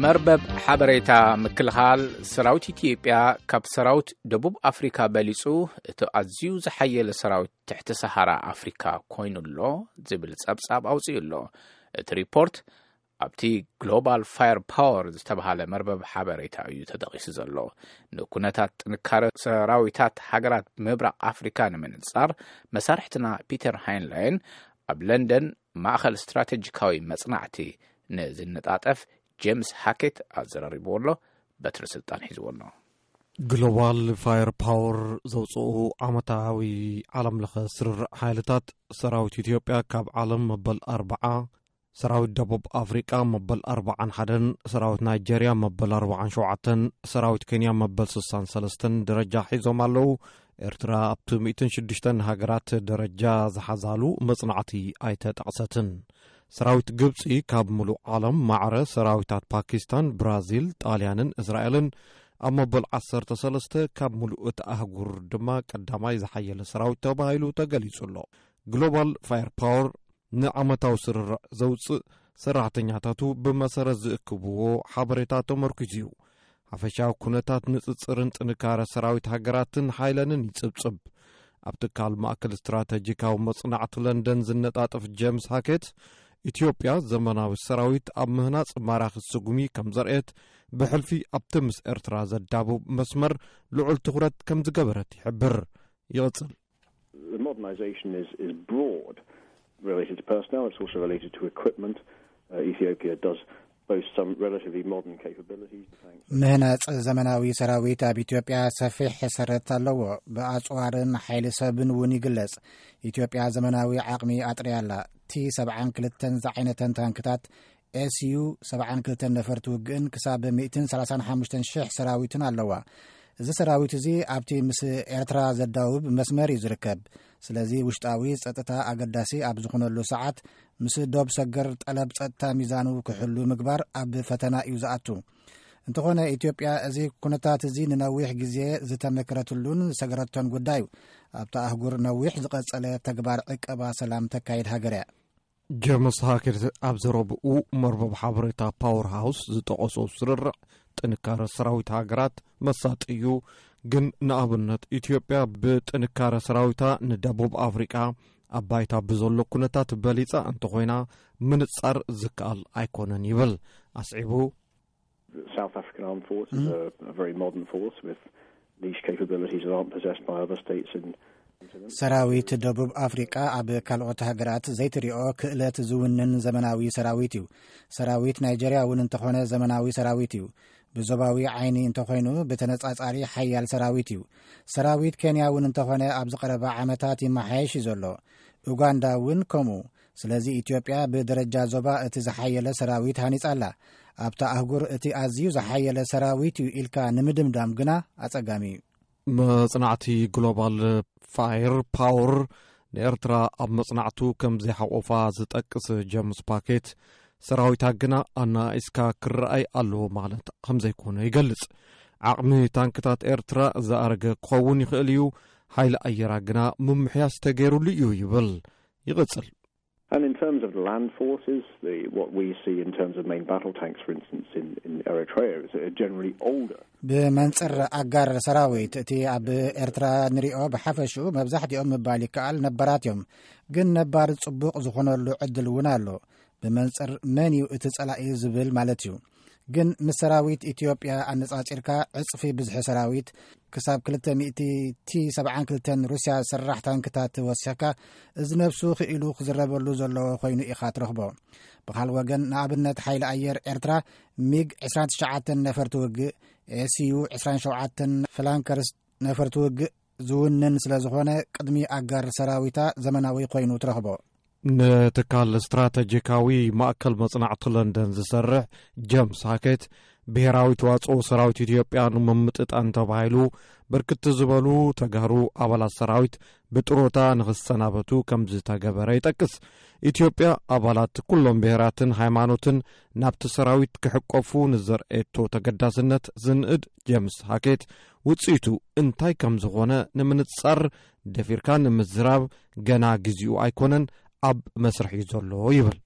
መርበብ ሓበሬታ ምክልኻል ሰራዊት ኢትዮጵያ ካብ ሰራዊት ደቡብ ኣፍሪካ በሊጹ እቲ ኣዝዩ ዝሓየለ ሰራዊት ትሕቲ ሰሃራ ኣፍሪካ ኮይኑ ኣሎ ዝብል ጸብጻብ ኣውጺኡ ኣሎ። እቲ ሪፖርት ኣብቲ ግሎባል ፋየር ፓወር ዝተባሃለ መርበብ ሓበሬታ እዩ ተጠቒሱ ዘሎ። ንኩነታት ጥንካረ ሰራዊታት ሃገራት ምብራቕ ኣፍሪካ ንምንጻር መሳርሕትና ፒተር ሃይንላይን ኣብ ለንደን ማእኸል ስትራቴጂካዊ መጽናዕቲ ንዝነጣጠፍ ጄምስ ሃኬት ኣዘራሪብዎ ኣሎ። በትሪ ስልጣን ሒዝዎ ኣሎ። ግሎባል ፋየር ፓወር ዘውፅኡ ዓመታዊ ዓለም ለኸ ስርርዕ ሓይልታት ሰራዊት ኢትዮጵያ ካብ ዓለም መበል ኣርብዓ፣ ሰራዊት ደቡብ ኣፍሪቃ መበል ኣርብዓን ሓደን፣ ሰራዊት ናይጄርያ መበል ኣርብዓን ሸውዓተን፣ ሰራዊት ኬንያ መበል ስሳን ሰለስተን ደረጃ ሒዞም ኣለዉ። ኤርትራ ኣብቲ ሚእትን ሽዱሽተን ሃገራት ደረጃ ዝሓዛሉ መጽናዕቲ ኣይተጠቕሰትን። ሰራዊት ግብጺ ካብ ምሉእ ዓለም ማዕረ ሰራዊታት ፓኪስታን፣ ብራዚል፣ ጣልያንን እስራኤልን ኣብ መበል ዓሰርተ ሰለስተ ካብ ምሉእ እቲ ኣህጉር ድማ ቀዳማይ ዝሓየለ ሰራዊት ተባሂሉ ተገሊጹ ኣሎ። ግሎባል ፋየር ፓወር ንዓመታዊ ስርርዕ ዘውጽእ ሰራሕተኛታቱ ብመሰረት ዝእክብዎ ሓበሬታ ተመርኪዙ እዩ። ሓፈሻዊ ኩነታት ንጽጽርን ጥንካረ ሰራዊት ሃገራትን ሓይለንን ይጽብጽብ። ኣብ ትካል ማእከል ስትራተጂካዊ መጽናዕቲ ለንደን ዝነጣጠፍ ጄምስ ሃኬት፣ ኢትዮጵያ ዘመናዊ ሰራዊት ኣብ ምህናጽ ማራኺ ስጉሚ ከም ዘርእየት፣ ብሕልፊ ኣብቲ ምስ ኤርትራ ዘዳብብ መስመር ልዑል ትኹረት ከም ዝገበረት ይሕብር። ይቕጽል። The modernisation is, is broad related to personnel, it's also related to equipment. Uh, Ethiopia does boast some relatively modern capabilities. Thanks. ምህናጽ ዘመናዊ ሰራዊት ኣብ ኢትዮጵያ ሰፊሕ ሰረት ኣለዎ። ብኣጽዋርን ሓይሊ ሰብን እውን ይግለጽ። ኢትዮጵያ ዘመናዊ ዓቕሚ ኣጥርያ ኣላ። ቲ ሰብዓን ክልተን ዝዓይነተን ታንክታት፣ ኤስዩ ሰብዓን ክልተን ነፈርቲ ውግእን ክሳብ ሚእትን ሰላሳን ሓሙሽተን ሽሕ ሰራዊትን ኣለዋ። እዚ ሰራዊት እዚ ኣብቲ ምስ ኤርትራ ዘዳውብ መስመር እዩ ዝርከብ። ስለዚ ውሽጣዊ ጸጥታ ኣገዳሲ ኣብ ዝኾነሉ ሰዓት፣ ምስ ዶብ ሰገር ጠለብ ጸጥታ ሚዛኑ ክሕሉ ምግባር ኣብ ፈተና እዩ ዝኣቱ። እንተኾነ፣ ኢትዮጵያ እዚ ኩነታት እዚ ንነዊሕ ግዜ ዝተመክረትሉን ዝሰገረቶን ጉዳይ እዩ። ኣብታ ኣህጉር ነዊሕ ዝቐጸለ ተግባር ዕቀባ ሰላም ተካይድ ሃገር እያ። ጀምስ ሃኬት ኣብ ዘረብኡ፣ መርበብ ሓበሬታ ፓወር ሃውስ ዝጠቐሶ ስርርዕ ጥንካረ ሰራዊት ሃገራት መሳጢ እዩ፣ ግን ንኣብነት ኢትዮጵያ ብጥንካረ ሰራዊታ ንደቡብ ኣፍሪቃ ኣብ ባይታ ብዘሎ ኩነታት በሊጻ እንተኾይና፣ ምንጻር ዝከኣል ኣይኮነን ይብል። ኣስዒቡ፣ South African Armed Force is a, a very modern force with niche capabilities that aren't possessed by other states in continent. ሰራዊት ደቡብ ኣፍሪቃ ኣብ ካልኦት ሃገራት ዘይትሪኦ ክእለት ዝውንን ዘመናዊ ሰራዊት እዩ። ሰራዊት ናይጀርያ እውን እንተኾነ ዘመናዊ ሰራዊት እዩ። ብዞባዊ ዓይኒ እንተኾይኑ ብተነጻጻሪ ሓያል ሰራዊት እዩ። ሰራዊት ኬንያ እውን እንተኾነ ኣብዚ ቀረባ ዓመታት ይመሓየሽ እዩ ዘሎ። ኡጋንዳ እውን ከምኡ። ስለዚ ኢትዮጵያ ብደረጃ ዞባ እቲ ዝሓየለ ሰራዊት ሃኒጻ ኣላ። ኣብታ ኣህጉር እቲ ኣዝዩ ዝሓየለ ሰራዊት እዩ ኢልካ ንምድምዳም ግና ኣጸጋሚ እዩ። መጽናዕቲ ግሎባል ፋየር ፓወር ንኤርትራ ኣብ መጽናዕቱ ከም ዘይሓቆፋ ዝጠቅስ ጀምስ ፓኬት፣ ሰራዊታ ግና ኣናኢስካ ክረኣይ ኣለዎ ማለት ከም ዘይኮነ ይገልጽ። ዓቕሚ ታንክታት ኤርትራ ዝኣረገ ክኸውን ይኽእል እዩ፣ ሓይሊ ኣየራ ግና ምምሕያሽ ተገይሩሉ እዩ ይብል። ይቕጽል። And in terms of land forces, the, what we see in terms of main battle tanks, for instance, in, in Eritrea, is a generally older. ብመንጽር ኣጋር ሰራዊት፣ እቲ ኣብ ኤርትራ ንሪኦ ብሓፈሽኡ መብዛሕትኦም ምባል ይከኣል ነባራት እዮም። ግን ነባር ጽቡቕ ዝኾነሉ ዕድል እውን ኣሎ። ብመንጽር መን እዩ እቲ ጸላኢ ዝብል ማለት እዩ። ግን ምስ ሰራዊት ኢትዮጵያ ኣነጻጺርካ ዕጽፊ ብዝሒ ሰራዊት፣ ክሳብ ክልተ ሚእቲ ቲ ሰብዓን ክልተን ሩስያ ሰራሕ ታንክታት ወሲኽካ፣ እዚ ነብሱ ክኢሉ ክዝረበሉ ዘለዎ ኮይኑ ኢኻ ትረኽቦ። ብኻል ወገን፣ ንኣብነት ሓይሊ ኣየር ኤርትራ ሚግ ዕስራን ትሽዓተን ነፈርቲ ውግእ፣ ኤስዩ ዕስራን ሸውዓተን ፍላንከርስ ነፈርቲ ውግእ ዝውንን ስለ ዝኾነ፣ ቅድሚ ኣጋር ሰራዊታ ዘመናዊ ኮይኑ ትረኽቦ። ንትካል ስትራተጂካዊ ማእከል መጽናዕቲ ለንደን ዝሰርሕ ጀምስ ሃኬት፣ ብሄራዊ ተዋጽኦ ሰራዊት ኢትዮጵያ ንምምጥጣን ተባሂሉ ብርክት ዝበሉ ተጋሩ ኣባላት ሰራዊት ብጥሮታ ንኽሰናበቱ ከም ዝተገበረ ይጠቅስ። ኢትዮጵያ ኣባላት ኩሎም ብሄራትን ሃይማኖትን ናብቲ ሰራዊት ክሕቆፉ ንዘርእየቶ ተገዳስነት ዝንእድ ጀምስ ሃኬት፣ ውጽኢቱ እንታይ ከም ዝኾነ ንምንጻር ደፊርካ ንምዝራብ ገና ግዜኡ ኣይኮነን፣ ኣብ መስርሕ እዩ ዘሎ ይብል።